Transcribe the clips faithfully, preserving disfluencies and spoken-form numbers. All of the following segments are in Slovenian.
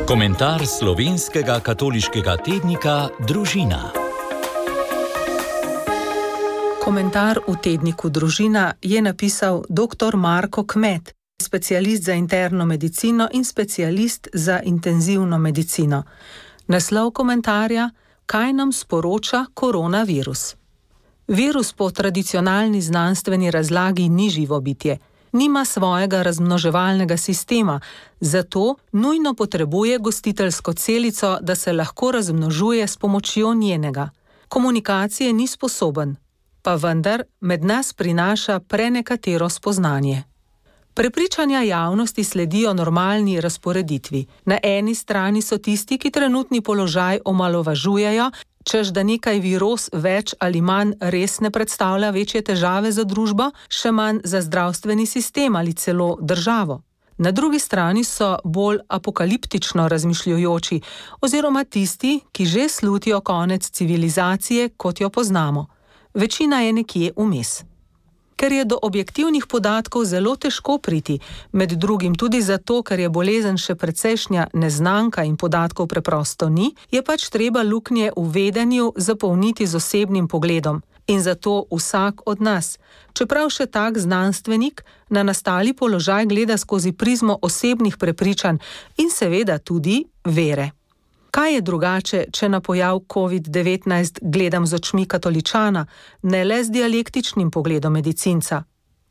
Komentar slovenskega katoliškega tednika Družina. Komentar v tedniku Družina je napisal doktor Marko Kmet, specialist za interno medicino in specialist za intenzivno medicino. Naslov komentarja: Kaj nam sporoča koronavirus? Virus po tradicionalni znanstveni razlagi ni živo bitje. Nima svojega razmnoževalnega sistema, zato nujno potrebuje gostiteljsko celico, da se lahko razmnožuje s pomočjo njenega. Komunikacije ni sposoben, pa vendar med nas prinaša prenekatero spoznanje. Prepričanja javnosti sledijo normalni razporeditvi. Na eni strani so tisti, ki trenutni položaj omalovažujejo, češ da nekaj viroz več ali manj res ne predstavlja večje težave za družbo, še manj za zdravstveni sistem ali celo državo. Na drugi strani so bolj apokaliptično razmišljujoči oziroma tisti, ki že slutijo konec civilizacije, kot jo poznamo. Večina je nekje vmes. Ker je do objektivnih podatkov zelo težko priti, med drugim tudi zato, ker je bolezen še precejšnja neznanka in podatkov preprosto ni, je pač treba luknje v vedenju zapolniti z osebnim pogledom. In zato vsak od nas, čeprav še tak znanstvenik, na nastali položaj gleda skozi prizmo osebnih prepričanj in seveda tudi vere. Kaj je drugače, če na pojav covid devetnajst gledam z očmi katoličana, ne le z dialektičnim pogledom medicinca?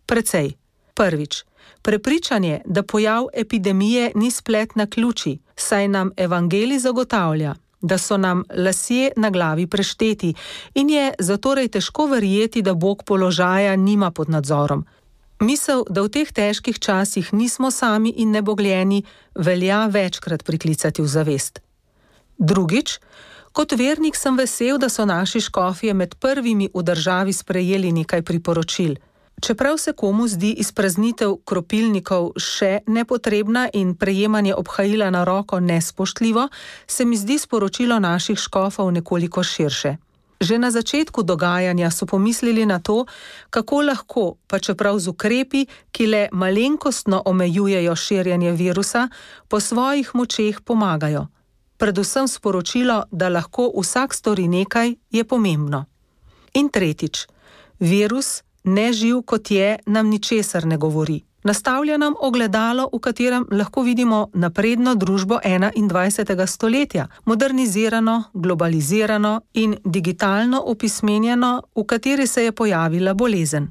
Precej. Prvič, prepričanje, da pojav epidemije ni splet naključij, saj nam evangelij zagotavlja, da so nam lasje na glavi prešteti in je zatorej težko verjeti, da Bog položaja nima pod nadzorom. Misel, da v teh težkih časih nismo sami in nebogljeni, velja večkrat priklicati v zavest. Drugič, kot vernik sem vesel, da so naši škofje med prvimi v državi sprejeli nekaj priporočil. Čeprav se komu zdi izpraznitev kropilnikov še nepotrebna in prejemanje obhajila na roko nespoštljivo, se mi zdi sporočilo naših škofov nekoliko širše. Že na začetku dogajanja so pomislili na to, kako lahko, pa čeprav z ukrepi, ki le malenkostno omejujejo širjenje virusa, po svojih močeh pomagajo. Predvsem sporočilo, da lahko vsak stori nekaj, je pomembno. In tretjič, virus, neživ kot je, nam ničesar ne govori. Nastavlja nam ogledalo, v katerem lahko vidimo napredno družbo enaindvajsetega stoletja, modernizirano, globalizirano in digitalno opismenjeno, v kateri se je pojavila bolezen.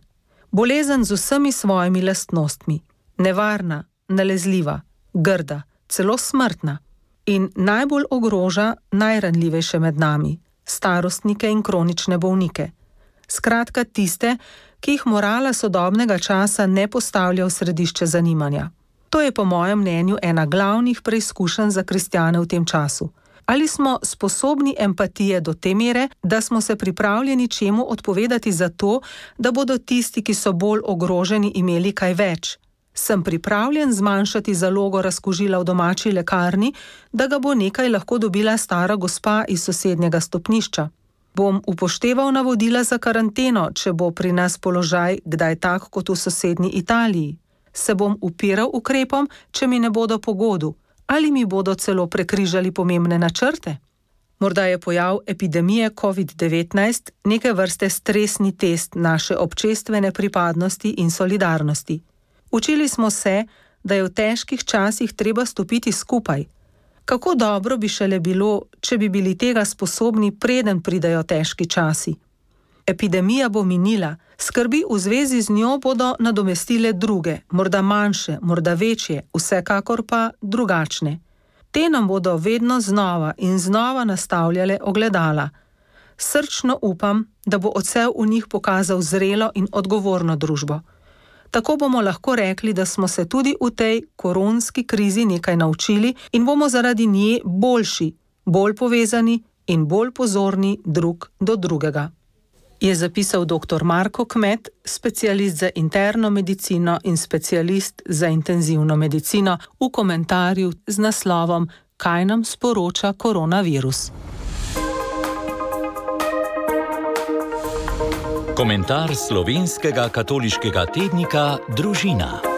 Bolezen z vsemi svojimi lastnostmi. Nevarna, nalezljiva, grda, celo smrtna. In najbolj ogroža najranljivejše med nami, starostnike in kronične bolnike. Skratka tiste, ki jih morala sodobnega časa ne postavlja v središče zanimanja. To je po mojem mnenju ena glavnih preizkušenj za kristjane v tem času. Ali smo sposobni empatije do te mere, da smo se pripravljeni čemu odpovedati za to, da bodo tisti, ki so bolj ogroženi, imeli kaj več? Sem pripravljen zmanjšati zalogo razkužila v domači lekarni, da ga bo nekaj lahko dobila stara gospa iz sosednjega stopnišča. Bom upošteval navodila za karanteno, če bo pri nas položaj kdaj tak kot v sosednji Italiji. Se bom upiral ukrepom, če mi ne bodo po godu, ali mi bodo celo prekrižali pomembne načrte? Morda je pojav epidemije covid devetnajst neke vrste stresni test naše občestvene pripadnosti in solidarnosti. Učili smo se, da je v težkih časih treba stopiti skupaj. Kako dobro bi šele bilo, če bi bili tega sposobni, preden pridejo težki časi. Epidemija bo minila, skrbi v zvezi z njo bodo nadomestile druge, morda manjše, morda večje, vsekakor pa drugačne. Te nam bodo vedno znova in znova nastavljale ogledala. Srčno upam, da bo odsev v njih pokazal zrelo in odgovorno družbo. Tako bomo lahko rekli, da smo se tudi v tej koronski krizi nekaj naučili in bomo zaradi nje boljši, bolj povezani in bolj pozorni drug do drugega. Je zapisal doktor Marko Kmet, specialist za interno medicino in specialist za intenzivno medicino, v komentarju z naslovom Kaj nam sporoča koronavirus? Komentar slovenskega katoliškega tednika Družina.